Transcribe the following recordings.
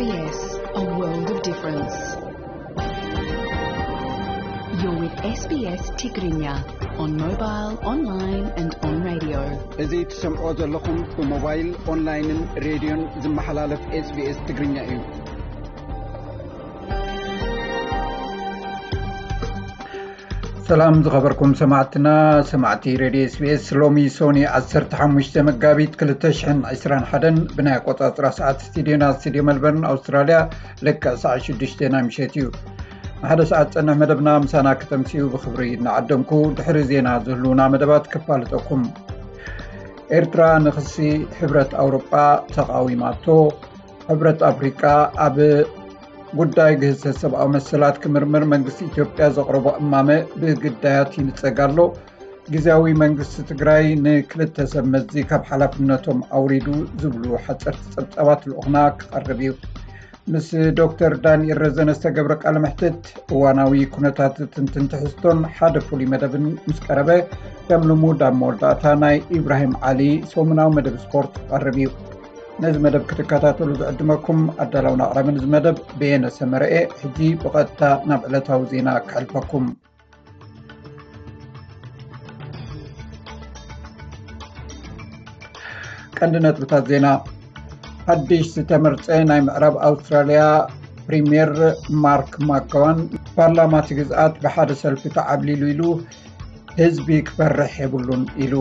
S B S, a world of difference. You're with S B S Tigrinya on mobile, online and on radio. እዚ ትሰምዖ ዘለኹም ብሞባይል፣ ኦንላይንን ሬድዮን ዝመሓላለፍ S B S ትግርኛ እዩ። ሰላም ዝኸበርኩም ሰማዕትና፣ ሰማዕቲ ሬድዮ S B S፣ ሎሚ ሶኒ ዓሰርተ ሓሙሽተ መጋቢት ክልተ ሽሕን ዕስራን ሓደን ብናይ ኣቆጻጽራ ሰዓት ስቱዲዮና፣ ስቱዲዮ መልበርን ኣውስትራልያ፣ ልክዕ ሰዓት ሽዱሽተ ናይ ምሸት እዩ። ንሓደ ሰዓት ጸንሕ መደብና ምሳና ክተምስዩ ብኽብሪ እናዓደምኩ፣ ድሕሪ ዜና ዝህልውና መደባት ክፋልጠኩም። ኤርትራ ንኽሲ ሕብረት ኣውሮጳ ተቓዊማቶ። ሕብረት ኣፍሪቃ ኣብ ጉዳይ ግህሰት ሰብኣዊ መሰላት ክምርምር መንግስቲ ኢትዮጵያ ዘቕረቦ እማመ ብግዳያት ይንጸግ ኣሎ። ግዝያዊ መንግስቲ ትግራይ ንክልተ ሰብ መዚ ካብ ሓላፍነቶም ኣውሪዱ ዝብሉ ሓፀርቲ ጸብጻባት ልኡኽና ክቐርብ እዩ። ምስ ዶክተር ዳንኤል ረዘነ ዝተገብረ ቃለ መሕትት፣ እዋናዊ ኩነታት ትንትን ትሕዝቶን ሓደ ፍሉይ መደብን ምስ ቀረበ፣ ከም ልሙድ ኣብ መወዳእታ ናይ ኢብራሂም ዓሊ ሰሙናዊ መደብ ስፖርት ክቐርብ እዩ። ነዚ መደብ ክትከታተሉ ዝዕድመኩም ኣዳላውን ኣቕራብን እዚ መደብ በየነ ሰመረኤ። ሕጂ ብቐጥታ ናብ ዕለታዊ ዜና ክሕልፈኩም። ቀንዲ ነጥብታት ዜና። ሓድሽ ዝተመርጸ ናይ ምዕራብ ኣውስትራልያ ፕሪምየር ማርክ ማክጎዋን፣ ፓርላማ እቲ ግዝኣት ብሓደ ሰልፊ ተዓብሊሉ ኢሉ፣ ህዝቢ ክፈርሕ የብሉን ኢሉ።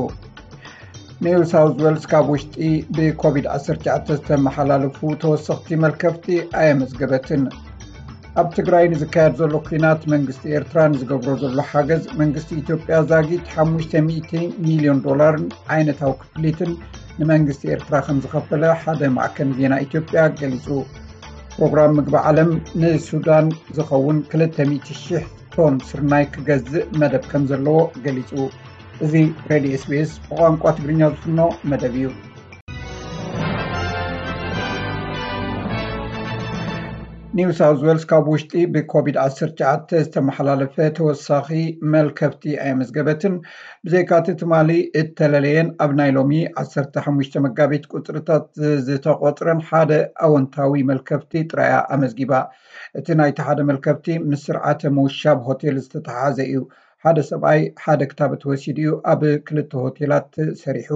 ኒው ሳውዝ ዌልስ ካብ ውሽጢ ብኮቪድ ዓሰርተ ትሽዓተ ዝተመሓላለፉ ተወሰኽቲ መልከፍቲ ኣየመዝገበትን። ኣብ ትግራይ ንዝካየድ ዘሎ ኲናት መንግስቲ ኤርትራ ንዝገብሮ ዘሎ ሓገዝ መንግስቲ ኢትዮጵያ ዛጊት ሓሙሽተ ሚእቲ ሚልዮን ዶላርን ዓይነታዊ ክፍሊትን ንመንግስቲ ኤርትራ ከም ዝኸፈለ ሓደ ማዕከን ዜና ኢትዮጵያ ገሊጹ። ፕሮግራም ምግቢ ዓለም ንሱዳን ዝኸውን ክልተ ሚእቲ ሺሕ ቶን ስርናይ ክገዝእ መደብ ከም ዘለዎ ገሊጹ። እዚ ሬድዮ S B S ብቋንቋ ትግርኛ ዝፍኖ መደብ እዩ። ኒው ሳውዝ ዌልስ ካብ ውሽጢ ብኮቪድ ዓሰርተ ትሽዓተ ዝተመሓላለፈ ተወሳኺ መልከፍቲ ኣየመዝገበትን። ብዘይካቲ ትማሊ እተለለየን ኣብ ናይ ሎሚ ዓሰርተ ሓሙሽተ መጋቢት ቁጽርታት ዝተቖጽረን ሓደ ኣወንታዊ መልከፍቲ ጥራያ ኣመዝጊባ። እቲ ናይቲ ሓደ መልከፍቲ ምስ ስርዓተ ምውሻብ ሆቴል ዝተተሓሓዘ እዩ። ሓደ ሰብኣይ ሓደ ክታበት ወሲዱ እዩ ኣብ ክልተ ሆቴላት ሰሪሑ።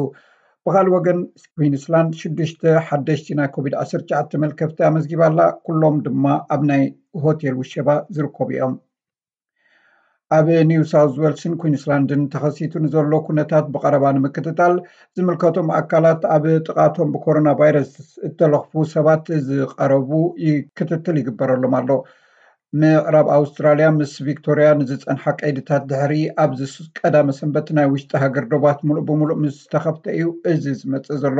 ብኻልእ ወገን፣ ኩዊንስላንድ ሽዱሽተ ሓደሽቲ ናይ ኮቪድ ዓሰርተ ትሽዓተ መልከፍቲ ኣመዝጊባ ኣላ። ኩሎም ድማ ኣብ ናይ ሆቴል ውሸባ ዝርከቡ እዮም። ኣብ ኒው ሳውዝ ዌልስን ኩዊንስላንድን ተኸሲቱ ንዘሎ ኩነታት ብቐረባ ንምክትታል ዝምልከቶም ኣካላት ኣብ ጥቓቶም ብኮሮና ቫይረስ እተለኽፉ ሰባት ዝቐረቡ ይ-፣ ክትትል ይግበረሎም ኣሎ። ምዕራብ ኣውስትራልያ ምስ ቪክቶርያ ንዝጸንሓ ቀይድታት ድሕሪ ኣብዚ ስ-፣ ቀዳመ ሰንበት ናይ ውሽጢ ሃገር ዶባት ምሉእ ብምሉእ ምስ ተኸፍተ እዩ እዚ ዝመጽእ ዘሎ።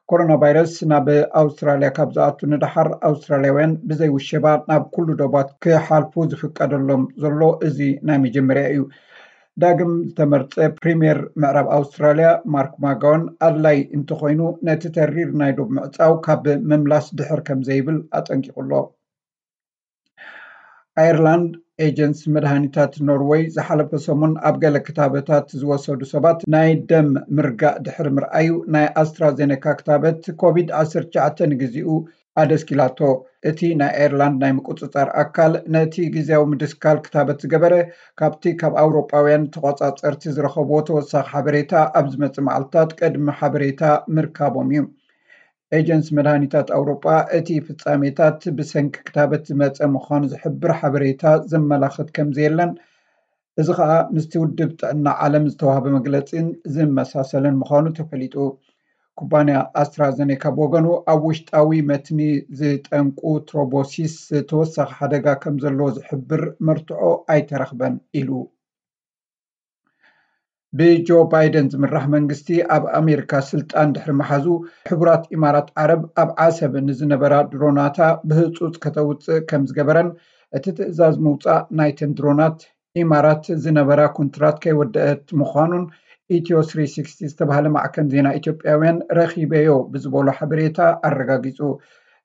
ኮሮና ቫይረስ ናብ ኣውስትራልያ ካብ ዝኣቱ ንደሓር ኣውስትራልያውያን ብዘይ ውሸባ ናብ ኩሉ ዶባት ክሓልፉ ዝፍቀደሎም ዘሎ እዚ ናይ መጀመርያ እዩ። ዳግም ዝተመርጸ ፕሪምየር ምዕራብ ኣውስትራልያ ማርክ ማጋዋን ኣድላይ እንተኾይኑ ነቲ ተሪር ናይ ዶብ ምዕጻው ካብ ምምላስ ድሕር ከም ዘይብል ኣጠንቂቑ ኣሎ። ኣየርላንድ፣ ኤጀንሲ መድሃኒታት ኖርወይ ዝሓለፈ ሰሙን ኣብ ገለ ክታበታት ዝወሰዱ ሰባት ናይ ደም ምርጋእ ድሕሪ ምርኣዩ፣ ናይ ኣስትራዜኔካ ክታበት ኮቪድ ዓሰርተ ትሽዓተ ንግዚኡ ኣደስኪላቶ። እቲ ናይ ኣየርላንድ ናይ ምቁጽጻር ኣካል ነቲ ግዝያዊ ምድስካል ክታበት ዝገበረ፣ ካብቲ ካብ ኣውሮጳውያን ተቖጻጸርቲ ዝረኸብዎ ተወሳኺ ሓበሬታ ኣብ ዝመጽእ መዓልትታት ቅድሚ ሓበሬታ ምርካቦም እዩ። ኤጀንሲ መድሃኒታት ኣውሮጳ፣ እቲ ፍጻሜታት ብሰንኪ ክታበት ዝመጸ ምዃኑ ዝሕብር ሓበሬታ ዘመላኽት ከም ዘየለን፣ እዚ ኸኣ ምስቲ ውድብ ጥዕና ዓለም ዝተዋህበ መግለጺን ዝመሳሰልን ምዃኑ ተፈሊጡ። ኩባንያ ኣስትራዘኔካ ብወገኑ፣ ኣብ ውሽጣዊ መትኒ ዝጠንቁ ትሮቦሲስ ተወሳኺ ሓደጋ ከም ዘለዎ ዝሕብር መርትዖ ኣይተረኽበን ኢሉ። ብጆ ባይደን ዝምራሕ መንግስቲ ኣብ ኣሜሪካ ስልጣን ድሕሪ ምሓዙ፣ ሕቡራት ኢማራት ዓረብ ኣብ ዓሰብ ንዝነበራ ድሮናታ ብህጹጽ ከተውጽእ ከም ዝገበረን፣ እቲ ትእዛዝ ምውጻእ ናይተን ድሮናት ኢማራት ዝነበራ ኩንትራት ከይወደአት ምዃኑን ኢትዮ ስሪ ሲክስቲ ዝተባህለ ማዕከን ዜና ኢትዮጵያውያን ረኺበዮ ብዝበሎ ሓበሬታ ኣረጋጊጹ።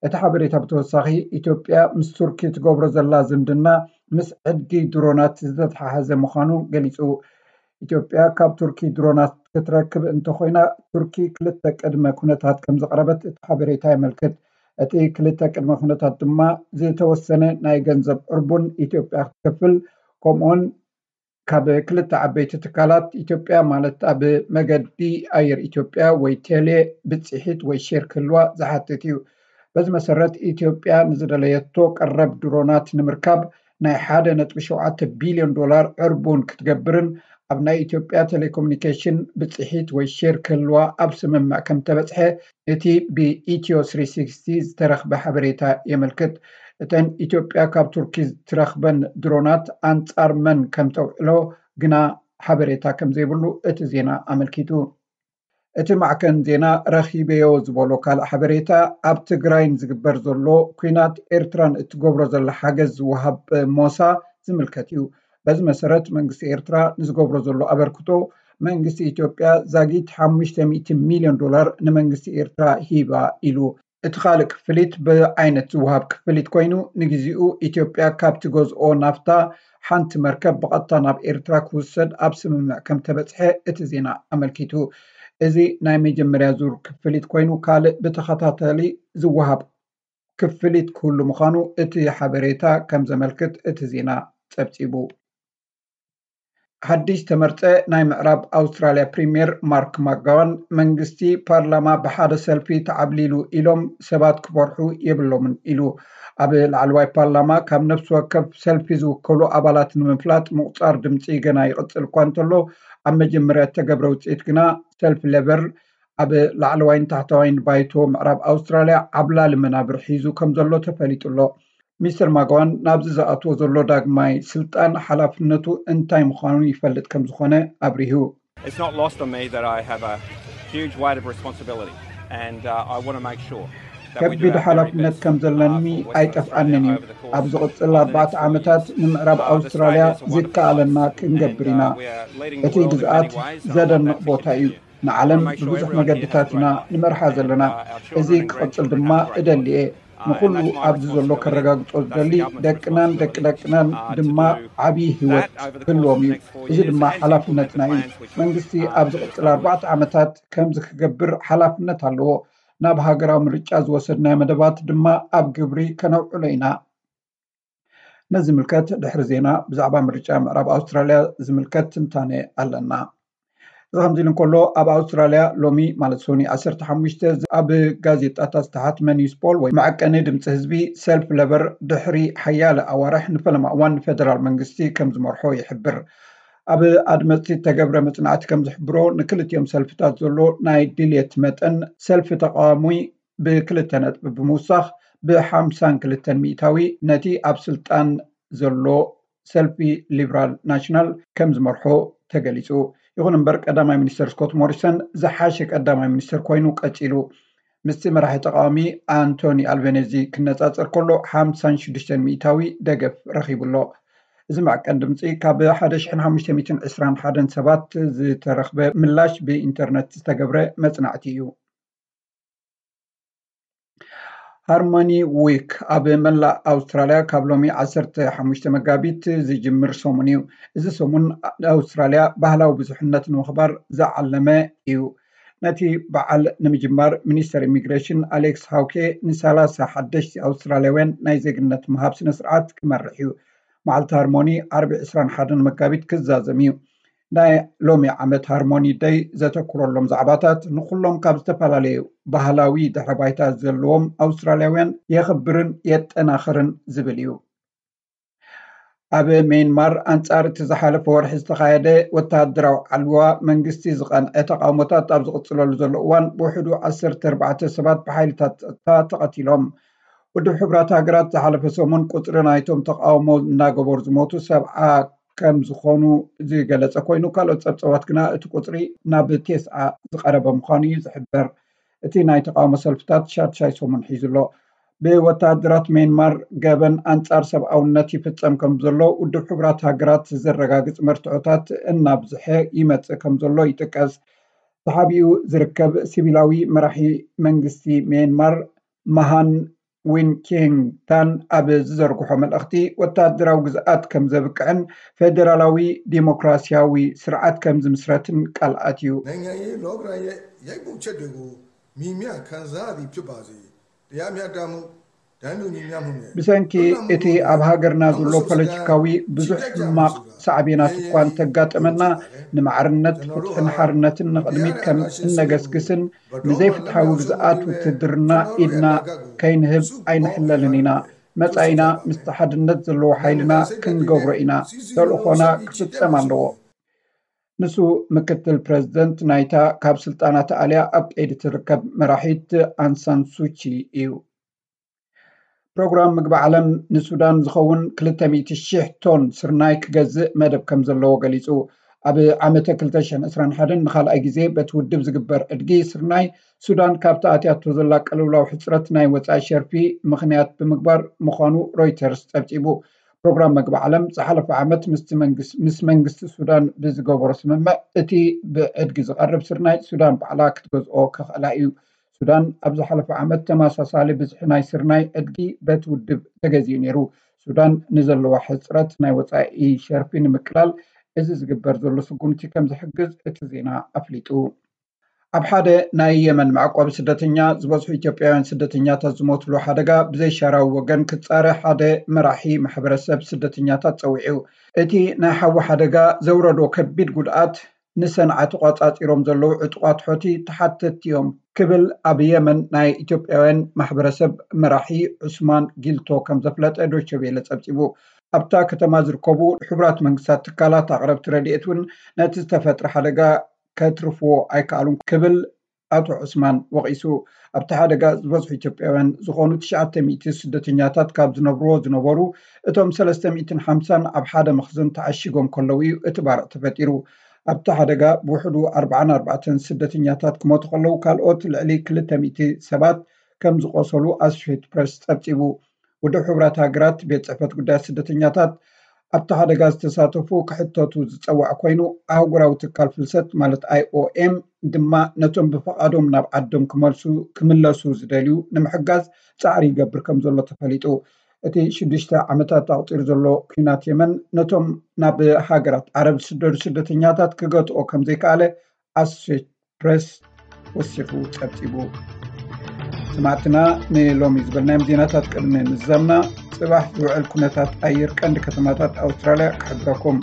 እቲ ሓበሬታ ብተወሳኺ፣ ኢትዮጵያ ምስ ቱርኪ ትገብሮ ዘላ ዝምድና ምስ ዕድጊ ድሮናት ዝተተሓሓዘ ምዃኑ ገሊጹ። ኢትዮጵያ ካብ ቱርኪ ድሮናት ክትረክብ እንተኾይና፣ ቱርኪ ክልተ ቅድመ ኩነታት ከም ዘቕረበት እቲ ሓበሬታ የመልክት። እቲ ክልተ ቅድመ ኩነታት ድማ ዝተወሰነ ናይ ገንዘብ ዕርቡን ኢትዮጵያ ክትከፍል፣ ከምኡውን ካብ ክልተ ዓበይቲ ትካላት ኢትዮጵያ፣ ማለት ኣብ መገዲ ኣየር ኢትዮጵያ ወይ ቴሌ ብፅሒት ወይ ሼር ክህልዋ ዝሓትት እዩ። በዚ መሰረት ኢትዮጵያ ንዝደለየቶ ቀረብ ድሮናት ንምርካብ ናይ ሓደ ነጥቢ ሸውዓተ ቢልዮን ዶላር ዕርቡን ክትገብርን ኣብ ናይ ኢትዮጵያ ቴሌኮሙኒኬሽን ብፅሒት ወይ ሼር ክህልዋ ኣብ ስምምዕ ከም ተበፅሐ እቲ ብኢትዮ ስሪ ሲክስቲ ዝተረኽበ ሓበሬታ የመልክት። እተን ኢትዮጵያ ካብ ቱርኪ ዝትረኽበን ድሮናት ኣንጻር መን ከም ተውዕሎ ግና ሓበሬታ ከም ዘይብሉ እቲ ዜና ኣመልኪቱ። እቲ ማዕከን ዜና ረኺበዮ ዝበሎ ካልእ ሓበሬታ፣ ኣብ ትግራይ ንዝግበር ዘሎ ኲናት ኤርትራ ንእትገብሮ ዘላ ሓገዝ ዝወሃብ ሞሳ ዝምልከት እዩ። በዚ መሰረት መንግስቲ ኤርትራ ንዝገብሮ ዘሎ ኣበርክቶ መንግስቲ ኢትዮጵያ ዛጊት ሓሙሽተ ሚእቲ ሚልዮን ዶላር ንመንግስቲ ኤርትራ ሂባ ኢሉ። እቲ ካልእ ክፍሊት ብዓይነት ዝወሃብ ክፍሊት ኮይኑ፣ ንግዚኡ ኢትዮጵያ ካብ ትገዝኦ ናፍታ ሓንቲ መርከብ ብቐጥታ ናብ ኤርትራ ክውሰድ ኣብ ስምምዕ ከም ተበጽሐ እቲ ዜና ኣመልኪቱ። እዚ ናይ መጀመርያ ዙር ክፍሊት ኮይኑ፣ ካልእ ብተኸታታሊ ዝወሃብ ክፍሊት ክህሉ ምዃኑ እቲ ሓበሬታ ከም ዘመልክት እቲ ዜና ጸብጺቡ። ሓድሽ ተመርጸ ናይ ምዕራብ ኣውስትራልያ ፕሪምየር ማርክ ማጋዋን መንግስቲ ፓርላማ ብሓደ ሰልፊ ተዓብሊሉ ኢሎም ሰባት ክፈርሑ የብሎምን ኢሉ። ኣብ ላዕለዋይ ፓርላማ ካብ ነፍሲ ወከፍ ሰልፊ ዝውከሉ ኣባላት ንምፍላጥ ምቑጻር ድምጺ ገና ይቕጽል እኳ እንተሎ፣ ኣብ መጀመርያ እተገብረ ውጽኢት ግና ሰልፊ ሌበር ኣብ ላዕለዋይን ታሕተዋይን ባይቶ ምዕራብ ኣውስትራልያ ዓብላሊ መናብር ሒዙ ከም ዘሎ ተፈሊጡ ኣሎ። ሚስተር ማጋዋን ናብዚ ዝኣትዎ ዘሎ ዳግማይ ስልጣን ሓላፍነቱ እንታይ ምዃኑ ይፈልጥ ከም ዝኾነ ኣብሪሁ። It's not lost on me that I have a huge weight of responsibility and uh, I want to make sure that we ከቢድ do our very ሓላፍነት best ከም ዘለኒ uh, for Western ኣይጠፍኣንን Australia እዩ። Over the course ኣብ ዝቕጽል ኣርባዕተ ዓመታት ንምዕራብ ኣውስትራልያ ዝከኣለና ክንገብር ኢና። እቲ ግዝኣት ዘደንቕ ቦታ እዩ። ንዓለም ብብዙሕ መገድታት ኢና ንመርሓ ዘለና። እዚ ክቕጽል ድማ እደሊ እየ። ንኹሉ ኣብዚ ዘሎ ከረጋግጾ ዝደሊ፣ ደቅናን ደቂ ደቅናን ድማ ዓብዪ ህይወት ክህልዎም እዩ። እዚ ድማ ሓላፍነትና እዩ። መንግስቲ ኣብ ዝቕጽል ኣርባዕተ ዓመታት ከምዚ ክገብር ሓላፍነት ኣለዎ። ናብ ሃገራዊ ምርጫ ዝወሰድናዮ መደባት ድማ ኣብ ግብሪ ከነውዕሎ ኢና። ነዚ ዝምልከት ድሕሪ ዜና ብዛዕባ ምርጫ ምዕራብ ኣውስትራልያ ዝምልከት ትንታነ ኣለና። እዚ ከምዚ ኢሉ እንከሎ፣ ኣብ ኣውስትራልያ ሎሚ ማለት ሶኒ ዓሰርተ ሓሙሽተ ኣብ ጋዜጣታት ዝተሓትመ ኒውስ ፖል ወይ መዐቀኒ ድምፂ ህዝቢ፣ ሰልፊ ለበር ድሕሪ ሓያለ ኣዋርሕ ንፈለማ እዋን ንፌደራል መንግስቲ ከም ዝመርሖ ይሕብር። ኣብ ኣድመፅቲ እተገብረ መፅናዕቲ ከም ዝሕብሮ፣ ንክልቲኦም ሰልፍታት ዘሎ ናይ ድልየት መጠን ሰልፊ ተቃዋሚ ብክልተ ነጥቢ ብምውሳኽ ብሓምሳን ክልተን ሚእታዊ ነቲ ኣብ ስልጣን ዘሎ ሰልፊ ሊብራል ናሽናል ከም ዝመርሖ ተገሊጹ። ይኹን እምበር ቀዳማይ ሚኒስተር ስኮት ሞሪሰን ዝሓሸ ቀዳማይ ሚኒስተር ኮይኑ ቀጺሉ። ምስቲ መራሒ ተቃዋሚ ኣንቶኒ ኣልቤኔዚ ክነጻጸር ከሎ ሓምሳን ሽዱሽተን ሚእታዊ ደገፍ ረኺቡ ኣሎ። እዚ መዐቀን ድምጺ ካብ ሓደ ሽሕን ሓሙሽተ ሚእትን ዕስራን ሓደን ሰባት ዝተረኽበ ምላሽ ብኢንተርነት ዝተገብረ መጽናዕቲ እዩ። ሃርሞኒ ዊክ ኣብ መላእ ኣውስትራልያ ካብ ሎሚ ዓሰርተ ሓሙሽተ መጋቢት ዝጅምር ሰሙን እዩ። እዚ ሰሙን ኣውስትራልያ ባህላዊ ብዙሕነት ንምኽባር ዝዓለመ እዩ። ነቲ በዓል ንምጅማር ሚኒስተር ኢሚግሬሽን ኣሌክስ ሃውኬ ንሰላሳ ሓደሽቲ ኣውስትራልያውያን ናይ ዜግነት ምሃብ ስነ ስርዓት ክመርሕ እዩ። መዓልቲ ሃርሞኒ ዓርቢ ዕስራን ሓደን መጋቢት ክዛዘም እዩ። ናይ ሎሚ ዓመት ሃርሞኒ ደይ ዘተኩረሎም ዛዕባታት ንኹሎም ካብ ዝተፈላለዩ ባህላዊ ድሕረ ባይታ ዘለዎም ኣውስትራልያውያን የኽብርን የጠናኽርን ዝብል እዩ። ኣብ ሜንማር ኣንጻር እቲ ዝሓለፈ ወርሒ ዝተኻየደ ወተሃደራዊ ዓልዋ መንግስቲ ዝቐንዐ ተቃውሞታት ኣብ ዝቕጽለሉ ዘሎ እዋን ብውሕዱ ዓሰርተ ኣርባዕተ ሰባት ብሓይልታት ጸጥታ ተቐቲሎም። ውድብ ሕቡራት ሃገራት ዝሓለፈ ሰሙን ቁጽሪ ናይቶም ተቃውሞ እናገበሩ ዝሞቱ ሰብዓ ከም ዝኾኑ ዝገለጸ ኮይኑ፣ ካልኦት ጸብጸባት ግና እቲ ቁጽሪ ናብ ቴስዓ ዝቐረበ ምዃኑ እዩ ዝሕበር። እቲ ናይ ተቃውሞ ሰልፍታት ሻድሻይ ሰሙን ሒዙ ኣሎ። ብወተሃደራት ሜንማር ገበን ኣንጻር ሰብኣውነት ይፍጸም ከም ዘሎ ውድብ ሕቡራት ሃገራት ዘረጋግጽ መርትዖታት እናብዝሐ ይመጽእ ከም ዘሎ ይጥቀስ። ተሓቢኡ ዝርከብ ሲቪላዊ መራሒ መንግስቲ ሜንማር ማሃን ዊን ኪንግታን ኣብ ዝዘርግሖ መልእኽቲ፣ ወተሃደራዊ ግዝኣት ከም ዘብቅዕን ፌደራላዊ ዲሞክራሲያዊ ስርዓት ከም ዝምስረትን ቃል ኣትዩ። နိုင်ငံရေးလောကဓာတ်ရဲ့ရိုက်ပုတ်ချက်တွေကို မြင်မြင်ခံစားရသည်ဖြစ်ပါစေ ብሰንኪ እቲ ኣብ ሃገርና ዘሎ ፖለቲካዊ ብዙሕ ሕማቕ ሳዕቤናት እኳ እንተጋጠመና፣ ንማዕርነት፣ ፍትሕን ሓርነትን ንቕድሚት ከም እነገስግስን ንዘይፍትሓዊ ግዝኣት ውትድርና ኢድና ከይንህብ ኣይንሕለልን ኢና። መጻኢና ምስቲ ሓድነት ዘለዎ ሓይልና ክንገብሮ ኢና። ተልእኾና ክፍጸም ኣለዎ። ንሱ ምክትል ፕረዚደንት ናይታ ካብ ስልጣና ተኣልያ ኣብ ቀይዲ ትርከብ መራሒት ኣንሳን ሱቺ እዩ። ፕሮግራም ምግቢ ዓለም ንሱዳን ዝኸውን ክልተ ሚእቲ ሺሕ ቶን ስርናይ ክገዝእ መደብ ከም ዘለዎ ገሊጹ። ኣብ ዓመተ ክልተ ሽሕን ዕስራን ሓደን ንኻልኣይ ግዜ በቲ ውድብ ዝግበር ዕድጊ ስርናይ ሱዳን ካብቲ ኣትያቶ ዘላ ቅልውላው ሕጽረት ናይ ወጻኢ ሸርፊ ምኽንያት ብምግባር ምዃኑ ሮይተርስ ጸብጺቡ። ፕሮግራም መግቢ ዓለም ዝሓለፈ ዓመት ምስቲ መንግስ-፣ ምስ መንግስቲ ሱዳን ብዝገበሮ ስምምዕ፣ እቲ ብዕድጊ ዝቐርብ ስርናይ ሱዳን ባዕላ ክትገዝኦ ክኽእላ እዩ። ሱዳን ኣብ ዝሓለፈ ዓመት ተመሳሳሊ ብዝሒ ናይ ስርናይ ዕድጊ በቲ ውድብ ተገዚኡ ነይሩ። ሱዳን ንዘለዋ ሕጽረት ናይ ወጻኢ ሸርፊ ንምቅላል እዚ ዝግበር ዘሎ ስጉምቲ ከም ዝሕግዝ እቲ ዜና ኣፍሊጡ። ኣብ ሓደ ናይ የመን መዕቆቢ ስደተኛ ዝበዝሑ ኢትዮጵያውያን ስደተኛታት ዝሞትሉ ሓደጋ ብዘይሻራዊ ወገን ክጻረ ሓደ መራሒ ማሕበረሰብ ስደተኛታት ጸዊዑ። እቲ ናይ ሓዊ ሓደጋ ዘውረዶ ከቢድ ጉድኣት ንሰንዓ ተቋጻጺሮም ዘለዉ ዕጡቓት ሖቲ ተሓተትቲ እዮም ክብል ኣብ የመን ናይ ኢትዮጵያውያን ማሕበረሰብ መራሒ ዑስማን ጊልቶ ከም ዘፍለጠ ዶይቼ ቬለ ጸብጺቡ። ኣብታ ከተማ ዝርከቡ ሕቡራት መንግስታት ትካላት ኣቕረብቲ ረድኤት እውን ነቲ ዝተፈጥረ ሓደጋ ከትርፍዎ ኣይከኣሉን ክብል ኣቶ ዑስማን ወቒሱ። ኣብቲ ሓደጋ ዝበዝሑ ኢትዮጵያውያን ዝኾኑ ትሽዓተ ሚእቲ ስደተኛታት ካብ ዝነብርዎ ዝነበሩ፣ እቶም ሰለስተ ሚእትን ሓምሳን ኣብ ሓደ መኽዘን ተዓሺጎም ከለዉ እዩ እቲ ባርዕ ተፈጢሩ። ኣብቲ ሓደጋ ብውሕዱ ኣርባዓን ኣርባዕተን ስደተኛታት ክሞቱ ከለዉ፣ ካልኦት ልዕሊ ክልተ ሚእቲ ሰባት ከም ዝቖሰሉ ኣሶሼትድ ፕረስ ጸብጺቡ። ውድብ ሕቡራት ሃገራት ቤት ጽሕፈት ጉዳያት ስደተኛታት ኣብቲ ሓደጋ ዝተሳተፉ ክሕተቱ ዝጸዋዕ ኮይኑ፣ ኣህጉራዊ ትካል ፍልሰት ማለት ኣይ ኦ ኤም ድማ ነቶም ብፍቓዶም ናብ ዓዶም ክመልሱ፣ ክምለሱ ዝደልዩ ንምሕጋዝ ጻዕሪ ይገብር ከም ዘሎ ተፈሊጡ። እቲ ሽዱሽተ ዓመታት ኣቑጺሩ ዘሎ ኲናት የመን ነቶም ናብ ሃገራት ዓረብ ዝስደዱ ስደተኛታት ክገትኦ ከም ዘይከኣለ ኣሶሼትድ ፕረስ ወሲኹ ጸብጺቡ። ሰማዕትና፣ ንሎሚ ዝበልናዮም ዜናታት ቅድሚ ምዝዛምና፣ ጽባሕ ዝውዕል ኩነታት ኣየር ቀንዲ ከተማታት ኣውስትራልያ ክሕብረኩም።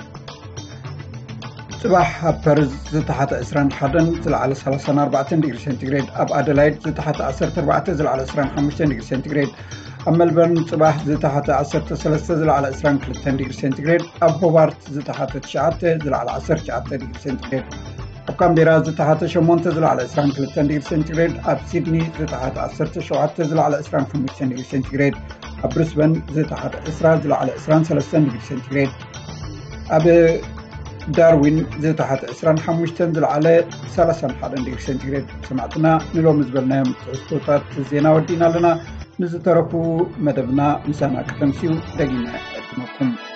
ጽባሕ ኣብ ፐርዝ ዝተሓተ ዕስራን ሓደን ዝለዓለ ሰላሳን ኣርባዕተን ዲግሪ ሴንቲግሬድ፣ ኣብ ኣደላይድ ዝተሓተ ዓሰርተ ኣርባዕተ ዝለዓለ ዕስራን ሓሙሽተን ዲግሪ ሴንቲግሬድ፣ ኣብ ሜልበርን ጽባሕ ዝተሓተ ዓሰርተ ሰለስተ ዝለዓለ ዕስራን ክልተን ዲግሪ ሴንቲግሬድ፣ ኣብ ሆባርት ዝተሓተ ትሽዓተ ዝለዓለ ዓሰርተ ትሽዓተ ዲግሪ ሴንቲግሬድ፣ ኣብ ካምቤራ ዝተሓተ ሸሞንተ ዝለዓለ ዕስራን ክልተን ዲግሪ ሴንቲግሬድ፣ ኣብ ሲድኒ ዝተሓተ ዓሰርተ ሸውዓተ ዝለዓለ ዕስራን ሓሙሽተን ዲግሪ ሴንቲግሬድ፣ ኣብ ብሪስበን ዝተሓተ ዕስራ ዝለዓለ ዕስራን ሰለስተን ዲግሪ ሴንቲግሬድ፣ ኣብ ዳርዊን ዝተሓተ ዕስራን ሓሙሽተን ዝለዓለ ሰላሳን ሓደን ዲግሪ ሴንቲግሬድ። ሰማዕትና፣ ንሎሚ ዝበልናዮም ትሕዝቶታት ዜና ወዲእና ኣለና። ንዝተረፉ መደብና ምሳና ከተምስዩ ደጊመ ዕድመኩም።